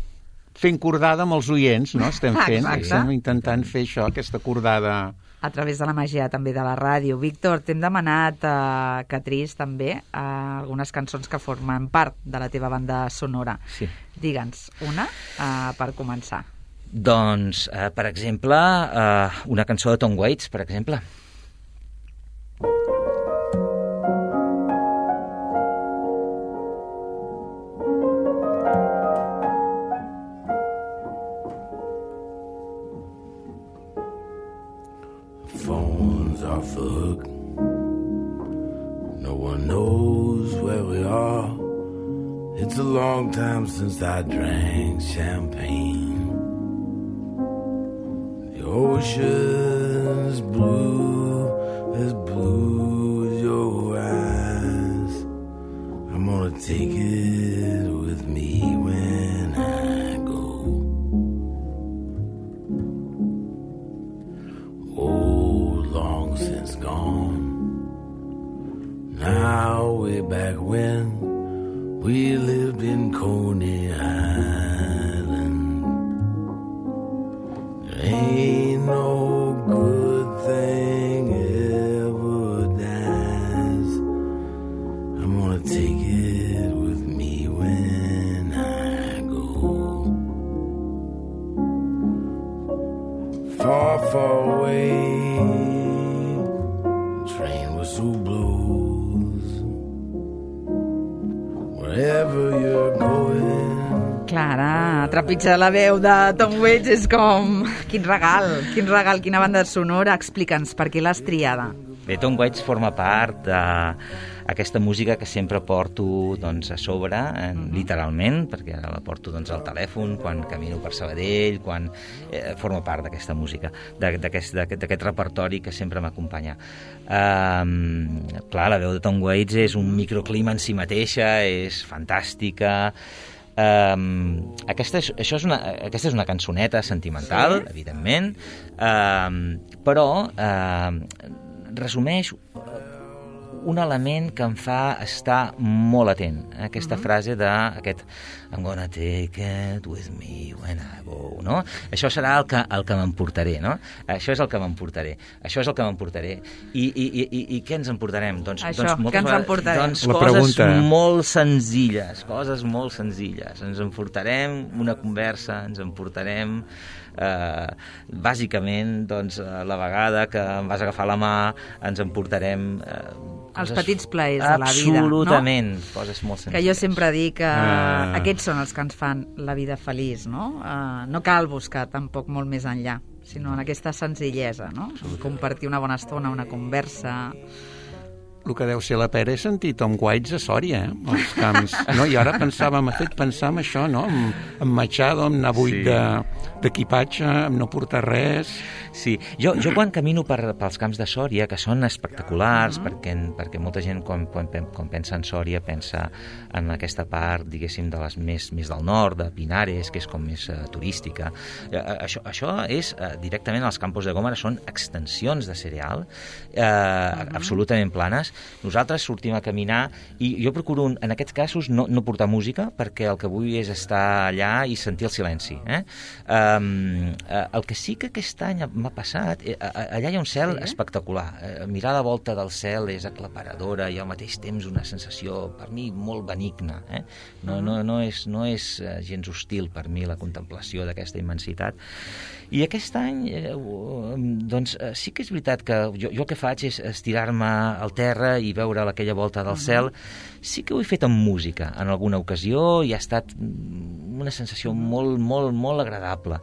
Fent cordada amb els oients, no? Estem fent, Exacte. estem intentant fer això, aquesta cordada... A través de la màgia també de la ràdio. Víctor, t'hem demanat eh, que triïs també eh, algunes cançons que formen part de la teva banda sonora. Sí. Digue'ns una eh, per començar. Doncs, eh, per exemple, eh, una cançó de Tom Waits, per exemple. Phone's off the hook. No one knows where we are. It's a long time since I drank champagne. The ocean's blue, as blue as your eyes. I'm gonna take it with me when I go. Oh, it's gone. Now way back when we lived in Coney Island, there ain't no good thing ever dies. I'm gonna take it with me when I go. Far, far away, the train whistle blows. Wherever you're going. Clara, trepitjar la veu de Tom Waits és com... Quin regal, quin regal, quina banda sonora. Explica'ns, per què l'has triada? Bé, Tom Waits forma part d'aquesta música que sempre porto doncs, a sobre, eh, literalment, perquè ara la porto doncs, al telèfon, quan camino per Sabadell, quan eh, forma part d'aquesta música, d'aquest repertori que sempre m'acompanya. Um, clar, la veu de Tom Waits és un microclima en si mateixa, és fantàstica. Um, aquesta, és, això és una, aquesta és una cançoneta sentimental, sí, evidentment, um, però um, resumeix un element que em fa estar molt atent. Aquesta uh-huh. frase d'aquest I'm gonna take it with me when I go, no? Això serà el que, el que m'emportaré, no? Això és el que m'emportaré. Això és el que m'emportaré. I, i, i, i què ens emportarem? Doncs, Això, doncs, què ens emportarem? Doncs coses pregunta. molt senzilles, coses molt senzilles. Ens emportarem una conversa, ens emportarem Uh, bàsicament doncs, uh, la vegada que em vas agafar la mà ens emportarem uh, els petits plaers de la vida, absolutament, no? Coses molt senzilles. Que jo sempre dic que uh... uh... aquests són els que ens fan la vida feliç, no? Uh, no cal buscar tampoc molt més enllà, sinó en aquesta senzillesa, no? Compartir una bona estona, una conversa. El que deu ser la pera és sentir Tom Waits a Sòria, eh? als camps. No? I ara pensava, m'ha fet pensar en això, no? En, en Machado, en anar buit sí. d'equipatge, en no portar res. Sí, jo, jo quan camino per, pels camps de Sòria, que són espectaculars, uh-huh. perquè, perquè molta gent quan, quan, quan pensa en Sòria pensa en aquesta part, diguéssim, de les més, més del nord, de Pinares, que és com més uh, turística. Uh, això, això és uh, directament als Campos de Gómara, són extensions de cereal, uh, uh-huh. absolutament planes. Nosaltres sortim a caminar i jo procuro, en aquests casos, no, no portar música, perquè el que vull és estar allà i sentir el silenci. Eh? Um, uh, el que sí que aquest any m'ha passat, eh, allà hi ha un cel sí. espectacular. Eh, mirar la volta del cel és aclaparadora i al mateix temps una sensació, per mi, molt benigna. Eh? No, no, no és, no és gens hostil per mi la contemplació d'aquesta immensitat. I aquest any, eh, doncs, sí que és veritat que jo, jo el que faig és estirar-me al terra i veure aquella volta del cel. Sí que ho he fet amb música en alguna ocasió i ha estat una sensació molt, molt, molt agradable.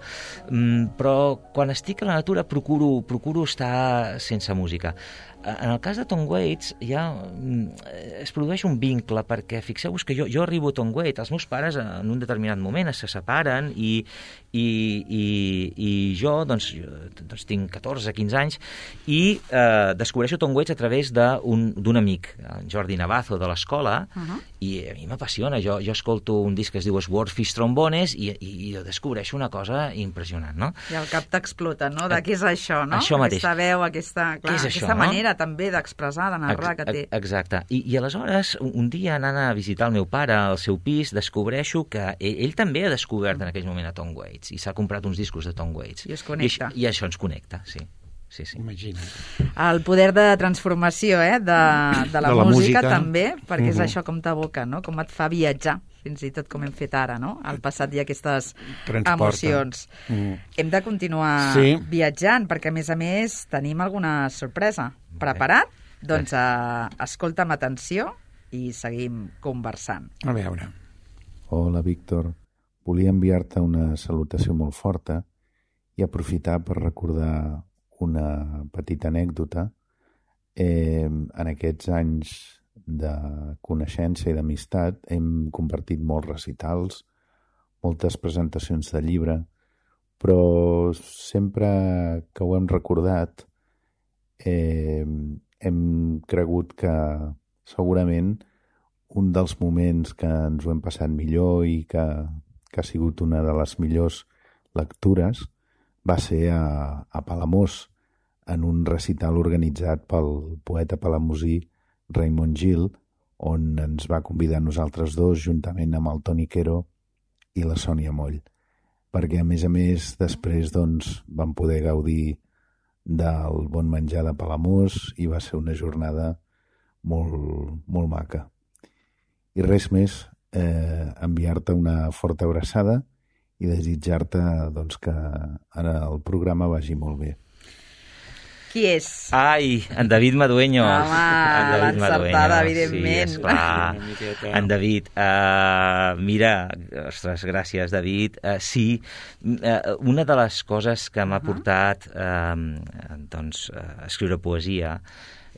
Mm, però quan estic a la natura procuro, procuro estar sense música. En el cas de Tom Waits ja es produeix un vincle, perquè fixeu-vos que jo, jo arribo a Tom Waits, els meus pares en un determinat moment se separen i, i, i, i jo, doncs, jo doncs tinc catorze quinze anys i eh, descobreixo Tom Waits a través d'un d'un amic, en Jordi Navazo, de l'escola, uh-huh. i a mi m'apassiona. Jo, jo escolto un disc que es diu Swordfish Trombones i, i, i jo descobreixo una cosa impressionant, no? I el cap t'explota, no? De què és això, no? Això mateix. Aquesta veu, aquesta, clar, això, aquesta no? manera també d'expressar, de narrar que té. Exacte. I, i aleshores, un, un dia anant a visitar el meu pare al seu pis, descobreixo que ell, ell també ha descobert en aquell moment a Tom Waits i s'ha comprat uns discos de Tom Waits. I es connecta. I, i això ens connecta, sí. Sí, sí. Imagina't. El poder de transformació eh, de, de, la, de la música, música també, perquè uh-huh. és això com t'aboca, no? Com et fa viatjar, fins i tot com hem fet ara, no? Al passat hi ha aquestes Transporta. emocions. Mm. Hem de continuar sí. viatjant, perquè a més a més tenim alguna sorpresa. Preparat? Doncs uh, escolta'm atenció i seguim conversant. A veure. Hola, Víctor. Volia enviar-te una salutació molt forta i aprofitar per recordar una petita anècdota. Eh, en aquests anys de coneixença i d'amistat hem compartit molts recitals, moltes presentacions de llibre, però sempre que ho hem recordat eh, hem cregut que segurament un dels moments que ens ho hem passat millor i que, que ha sigut una de les millors lectures va ser a, a Palamós, en un recital organitzat pel poeta palamosí Raimon Gil, on ens va convidar nosaltres dos, juntament amb el Toni Quero i la Sònia Moll, perquè a més a més després doncs, vam poder gaudir del bon menjar de Palamós i va ser una jornada molt, molt maca. I res més, eh, enviar-te una forta abraçada i desitjar-te doncs, que ara el programa vagi molt bé. Qui és? Ai, en David Madueño. Home, l'encertada, evidentment. Sí, esclar. En David. Uh, mira, ostres, gràcies, David. Uh, sí, uh, una de les coses que m'ha portat uh, doncs, uh, a escriure poesia,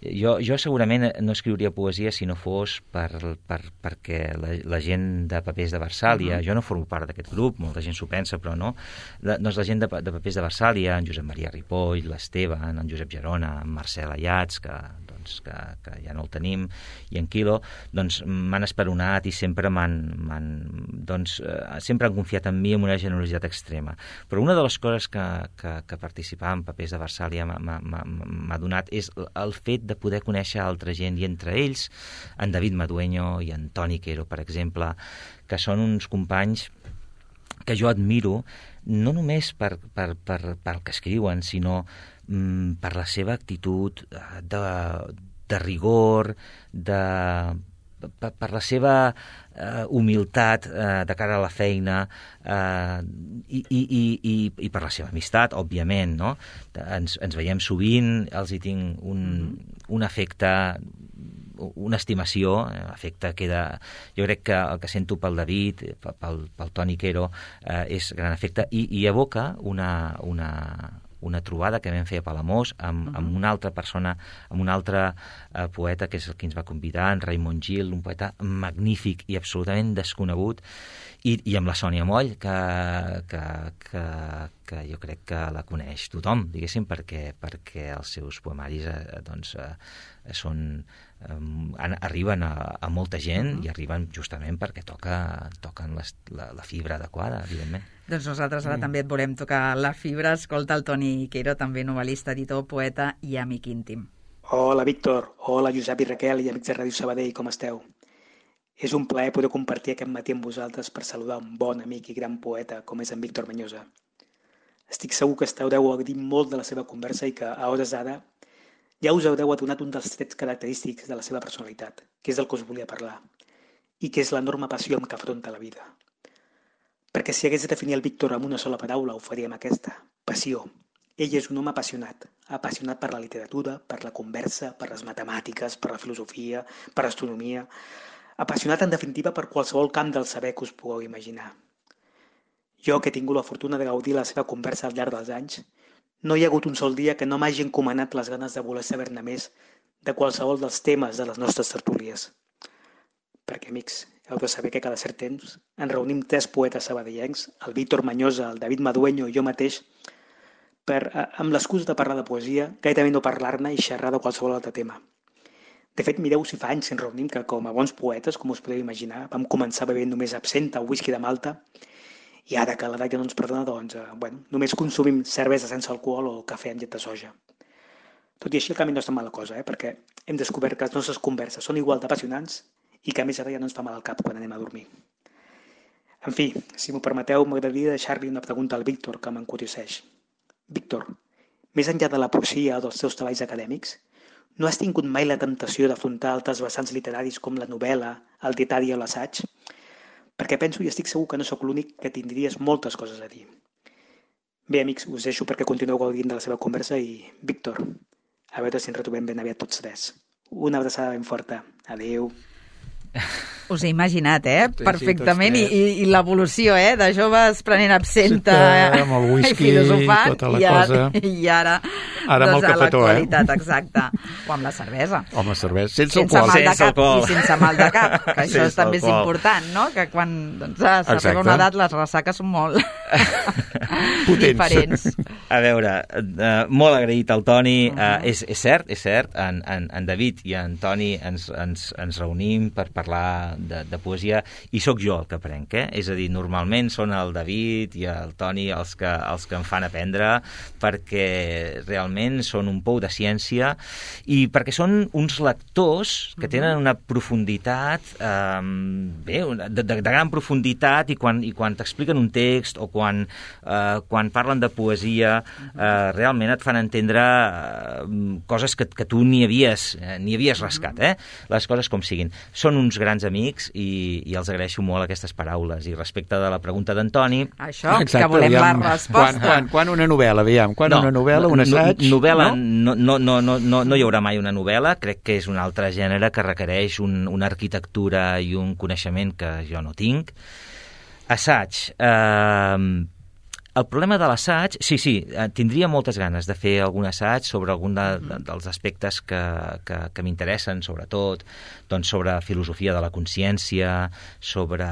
Jo, jo segurament no escriuria poesia si no fos per, per, perquè la, la gent de Papers de Versàlia, uh-huh. jo no formo part d'aquest grup, molta gent s'ho pensa, però no, la, doncs la gent de, de Papers de Versàlia, en Josep Maria Ripoll, l'Esteban, en Josep Gerona, en Marcel Ayats, que, doncs, que, que ja no el tenim, i en Quilo, doncs m'han esperonat i sempre m'han, m'han doncs, eh, sempre han confiat en mi amb una generositat extrema. Però una de les coses que, que, que participar en Papers de Versàlia m'ha donat és el fet de poder conèixer altra gent, i entre ells en David Madueño i en Toni Quero, per exemple, que són uns companys que jo admiro no només per, per, per, per el que escriuen, sinó mm, per la seva actitud de, de rigor, de, per, per la seva eh, humilitat eh, de cara a la feina eh, i, i, i, i per la seva amistat, òbviament, no? Ens, ens veiem sovint, els hi tinc un, un afecte, una estimació, afecte queda... Jo crec que el que sento pel David, pel, pel Toni Quero, eh, és gran afecte i, i evoca una... una una trobada que vam fer a Palamós amb, amb una altra persona, amb un altre eh, poeta que és el que ens va convidar, en Raimon Gil, un poeta magnífic i absolutament desconegut, i, i amb la Sònia Moll, que, que, que, que jo crec que la coneix tothom, diguéssim, perquè, perquè els seus poemaris eh, doncs, eh, són, eh, arriben a, a molta gent i arriben justament perquè toca, toquen les, la, la fibra adequada, evidentment. Doncs nosaltres ara mm. també et volem tocar la fibra. Escolta el Toni Quero, també novel·lista, editor, poeta i amic íntim. Hola, Víctor. Hola, Josep i Raquel i amics de Ràdio Sabadell, com esteu? És un plaer poder compartir aquest matí amb vosaltres per saludar un bon amic i gran poeta com és en Víctor Mañosa. Estic segur que esteu deu gaudir molt de la seva conversa i que, a hores d'ara, ja us haureu adonat un dels trets característics de la seva personalitat, que és el que us volia parlar, i que és l'enorme passió amb què afronta la vida. Perquè si hagués de definir el Víctor amb una sola paraula, ho faríem aquesta: passió. Ell és un home apassionat, apassionat per la literatura, per la conversa, per les matemàtiques, per la filosofia, per l'astronomia, apassionat en definitiva per qualsevol camp del saber que us pugueu imaginar. Jo, que he tingut la fortuna de gaudir la seva conversa al llarg dels anys, no hi ha hagut un sol dia que no m'hagi encomanat les ganes de voler saber-ne més de qualsevol dels temes de les nostres tertúlies. Perquè, amics, heu de saber que cada cert temps ens reunim tres poetes sabadellencs, el Víctor Mañosa, el David Madueño i jo mateix, per, amb l'excusa de parlar de poesia, gairebé no parlar-ne i xerrar de qualsevol altre tema. De fet, mireu si fa anys que ens reunim que, com a bons poetes, com us podeu imaginar, vam començar bevent només absenta o whisky de Malta, i ara que l'edat ja no ens perdona, doncs, eh, bueno, només consumim cervesa sense alcohol o cafè amb llet de soja. Tot i així, el camí no és tan mala cosa, eh? Perquè hem descobert que les nostres converses són igual d'apassionants i que a més ara ja no ens fa mal al cap quan anem a dormir. En fi, si m'ho permeteu, m'agradaria deixar-li una pregunta al Víctor que m'encurioseix. Víctor, més enllà de la poesia o dels teus treballs acadèmics, no has tingut mai la temptació d'afrontar altres vessants literaris com la novel·la, el dietari o l'assaig? Perquè penso i estic segur que no sóc l'únic que tindries moltes coses a dir. Bé, amics, us deixo perquè continueu gaudint de la seva conversa i, Víctor, a veure si ens retrobem ben aviat tots tres. Una abraçada ben forta. Adéu. Us he imaginat, eh? Sí, perfectament, sí, i, i l'evolució, eh? De joves prenent absenta sí, amb el whisky, i filosofant, tota la i ara, cosa. i ara, ara doncs, amb el cafetó, a l'actualitat, eh? exacte. O amb la cervesa. O amb la cervesa, sense, sense alcohol. mal de Sense cap alcohol. i sense mal de cap, que això Sense també és alcohol. important, no? Que quan doncs, s'arriba una edat les ressaques són molt. diferents. A veure, uh, molt agraït al Toni. Uh, és, és cert, és cert, en, en, en David i en Toni ens, ens, ens reunim per parlar de, de poesia i sóc jo el que aprenc, eh? És a dir, normalment són el David i el Toni els que, els que em fan aprendre, perquè realment són un pou de ciència i perquè són uns lectors que tenen una profunditat, eh, bé, de, de, de gran profunditat, i quan, i quan t'expliquen un text o quan, eh, quan parlen de poesia, eh, realment et fan entendre eh, coses que, que tu ni havies, eh, ni havies rascat, eh? Les coses com siguin. Són uns grans amics i, i els agraeixo molt aquestes paraules. I respecte de la pregunta d'Antoni... Això, exacte, que volem aviam, la resposta. Quan, quan, quan una novel·la, aviam, quan no, una novel·la, un assaig... No, novel·la, no? No, no, no, no, no hi haurà mai una novel·la. Crec que és un altre gènere que requereix un, una arquitectura i un coneixement que jo no tinc. Assaig... Eh, El problema de l'assaig, sí, sí, tindria moltes ganes de fer algun assaig sobre algun de, de, dels aspectes que, que, que m'interessen, sobretot, doncs sobre filosofia de la consciència, sobre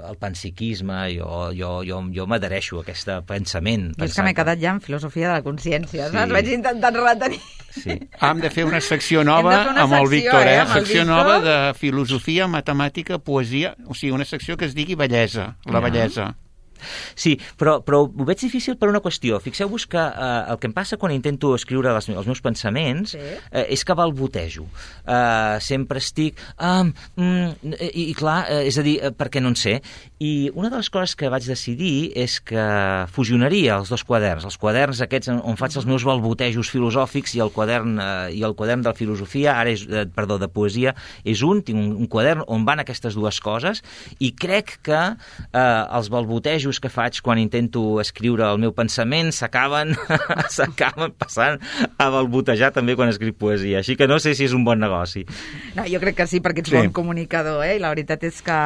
el panpsiquisme. Jo, jo, jo, jo m'adhereixo a aquest pensament. Jo és que m'he quedat ja en filosofia de la consciència, sí. Saps? Vaig intentant retenir. Sí. Hem de fer una secció nova una amb el secció, Víctor, eh? eh? Amb el secció Víctor. nova de filosofia, matemàtica, poesia, o sigui, una secció que es digui bellesa, la Ja. bellesa. Sí, però, però ho veig difícil per una qüestió. Fixeu-vos que eh, el que em passa quan intento escriure les, els meus pensaments, sí. eh, és que balbotejo. Eh, sempre estic... Um, mm, i, I clar, eh, és a dir, eh, perquè no en sé. I una de les coses que vaig decidir és que fusionaria els dos quaderns. Els quaderns aquests on faig els meus balbotejos filosòfics i el quadern, eh, i el quadern de la filosofia, ara és, eh, perdó, de poesia, és un, tinc un, un quadern on van aquestes dues coses, i crec que eh, els balbotejos que faig quan intento escriure el meu pensament s'acaben s'acaben passant a balbotejar també quan escric poesia, així que no sé si és un bon negoci. No, jo crec que sí, perquè ets sí. bon comunicador, eh? I la veritat és que...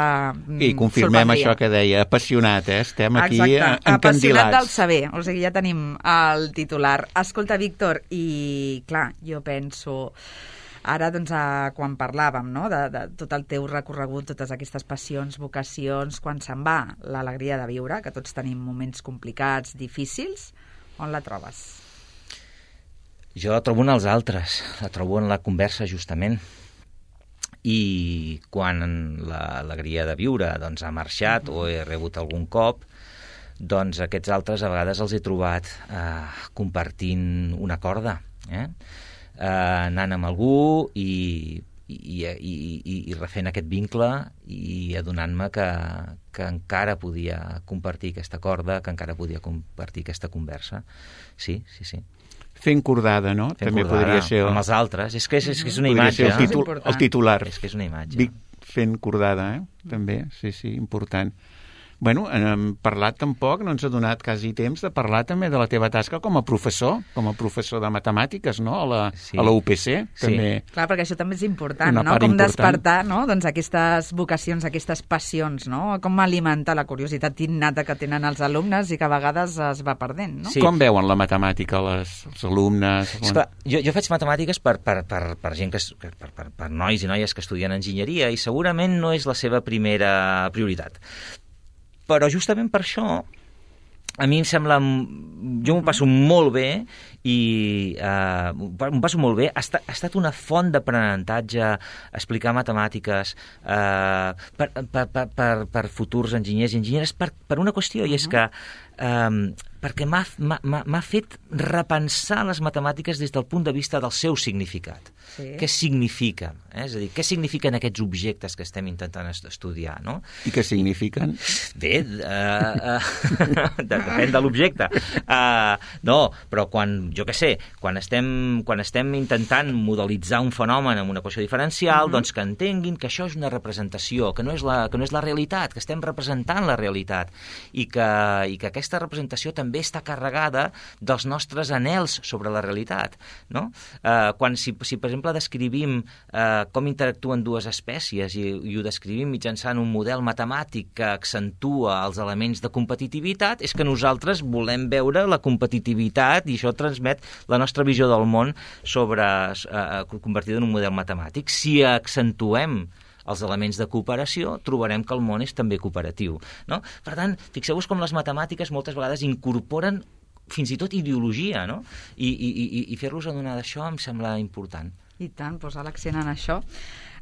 I confirmem això que deia, apassionat, eh? Estem aquí encandilats. Apassionat del saber, o sigui, ja tenim el titular. Escolta, Víctor, i clar, jo penso... Ara, doncs, a, quan parlàvem, no?, de, de tot el teu recorregut, totes aquestes passions, vocacions, quan se'n va l'alegria de viure, que tots tenim moments complicats, difícils, on la trobes? Jo la trobo en els altres, la trobo en la conversa, justament. I quan l'alegria de viure doncs, ha marxat o he rebut algun cop, doncs aquests altres a vegades els he trobat eh, compartint una corda, eh? Eh, anant amb algú i, i, i, i, i refent aquest vincle i adonant-me que, que encara podia compartir aquesta corda, que encara podia compartir aquesta conversa. Sí, sí, sí. Fent cordada, no? Fent També cordada, podria ser... El... amb els altres. És que és, és, que és una podria imatge. Ser el, títol, eh? el titular. És que és una imatge. Vic fent cordada, eh? També, sí, sí, important. Bueno, hem parlat tampoc, no ens ha donat quasi temps de parlar també de la teva tasca com a professor, com a professor de matemàtiques, no?, a la, sí. a la U P C. Sí. També. Clar, perquè això també és important, Una no?, part com important. despertar, no?, doncs aquestes vocacions, aquestes passions, no?, com alimentar la curiositat innata que tenen els alumnes i que a vegades es va perdent, no? Sí. Com veuen la matemàtica les, els alumnes? Esclar, jo, jo faig matemàtiques per, per, per, per gent que, per, per, per nois i noies que estudien enginyeria i segurament no és la seva primera prioritat. Però justament per això a mi em sembla... Jo m'ho passo molt bé i eh, m'ho passo molt bé. Ha estat, ha estat una font d'aprenentatge explicar matemàtiques eh, per, per, per, per, per futurs enginyers i enginyeres per, per una qüestió, i és que eh, perquè m'ha, m'ha, m'ha fet repensar les matemàtiques des del punt de vista del seu significat. Sí. Què signifiquen? Eh? És a dir, què signifiquen aquests objectes que estem intentant estudiar, no? I què signifiquen? Bé, uh, uh, depèn de l'objecte. Uh, no, però quan, jo què sé, quan estem, quan estem intentant modelitzar un fenomen amb una equació diferencial, mm-hmm. doncs que entenguin que això és una representació, que no és la, que no és la realitat, que estem representant la realitat, i que, i que aquesta representació també està carregada dels nostres anhels sobre la realitat, no? Uh, quan, si, si per exemple descrivim uh, com interactuen dues espècies i, i ho descrivim mitjançant un model matemàtic que accentua els elements de competitivitat, és que nosaltres volem veure la competitivitat i això transmet la nostra visió del món sobre, uh, convertida en un model matemàtic. Si accentuem els elements de cooperació, trobarem que el món és també cooperatiu, no? Per tant, fixeu-vos com les matemàtiques moltes vegades incorporen fins i tot ideologia, no? I, i, i, i fer-los adonar d'això em sembla important. I tant, posar l'accent en això.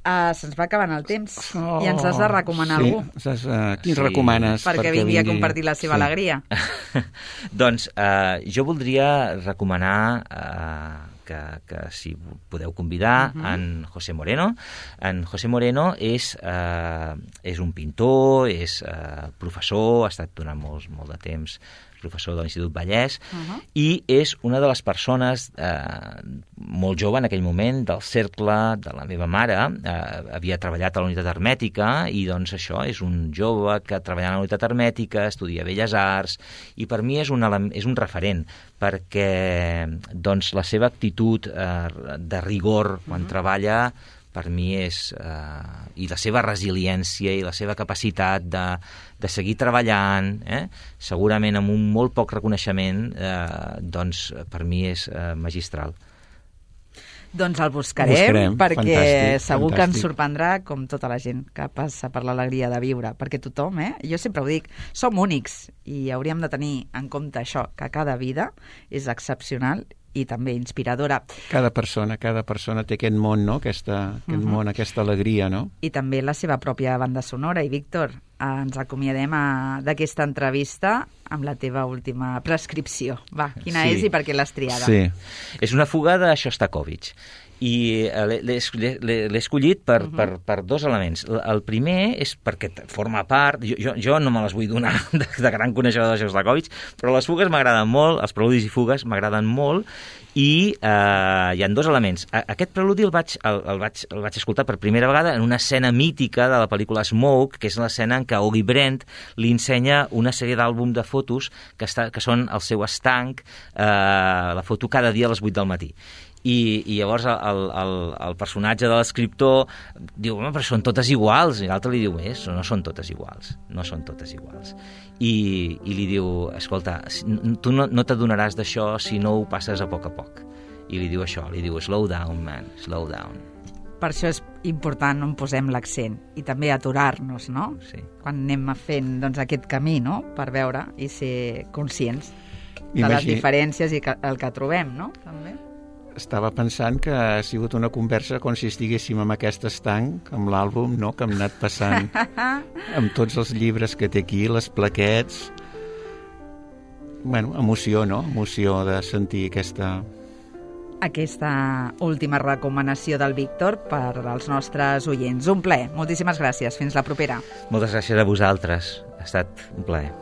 Uh, se'ns va acabant el temps oh, i ens has de recomanar sí. algú. Saps, uh, quins sí. recomanes? Perquè, perquè vingui a compartir la seva sí. alegria. Doncs uh, jo voldria recomanar uh, que, que si podeu convidar uh-huh. en José Moreno. En José Moreno és, uh, és un pintor, és uh, professor, ha estat durant molt, molt de temps professor de l'Institut Vallès, uh-huh. i és una de les persones eh, molt jove en aquell moment del cercle de la meva mare, eh, havia treballat a la unitat hermètica i doncs això és un jove que treballa a la unitat hermètica, estudia Belles Arts i per mi és un, és un referent perquè doncs, la seva actitud eh, de rigor quan uh-huh. treballa per mi és, eh, i la seva resiliència i la seva capacitat de, de seguir treballant, eh, segurament amb un molt poc reconeixement, eh, doncs per mi és eh, magistral. Doncs el buscarem, buscarem perquè fantàstic, segur fantàstic. que ens sorprendrà com tota la gent que passa per l'alegria de viure, perquè tothom, eh, jo sempre ho dic, som únics i hauríem de tenir en compte això, que cada vida és excepcional i també inspiradora. Cada persona, cada persona té aquest món, no? Aquesta, aquest uh-huh. món, aquesta alegria, no? I també la seva pròpia banda sonora. I, Víctor, eh, ens acomiadem a, d'aquesta entrevista amb la teva última prescripció. Va, quina sí. és i per què l'has triada? Sí, és una fuga de Shostakovich. I l'he escollit per, uh-huh. per, per dos elements. El primer és perquè forma part... Jo, jo, jo no me les vull donar de, de gran coneixedor de Shostakovich, però les fugues m'agraden molt, els preludis i fugues m'agraden molt, i eh, hi ha dos elements. Aquest preludi el vaig, el, el, vaig, el vaig escoltar per primera vegada en una escena mítica de la pel·lícula Smoke, que és l'escena en què Ogi Brent li ensenya una sèrie d'àlbum de fotos que, està, que són el seu estanc, eh, la foto cada dia a les vuit del matí. I, i llavors el, el, el personatge de l'escriptor diu, home, però són totes iguals, i l'altre li diu, eh, no són totes iguals, no són totes iguals. I, i li diu, escolta, tu no, no t'adonaràs d'això si no ho passes a poc a poc. I li diu això, li diu, slow down, man, slow down. Per això és important on posem l'accent i també aturar-nos, no? Sí. Quan anem fent doncs, aquest camí, no? Per veure i ser conscients de Imagina... les diferències i que, el que trobem, no? També. Estava pensant que ha sigut una conversa com si estiguéssim amb aquest estanc, amb l'àlbum, no?, que hem anat passant, amb tots els llibres que té aquí, les plaquets... Bueno, emoció, no? Emoció de sentir aquesta... Aquesta última recomanació del Víctor per als nostres oients. Un plaer. Moltíssimes gràcies. Fins la propera. Moltes gràcies a vosaltres. Ha estat un plaer.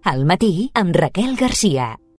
Al matí amb Raquel Garcia.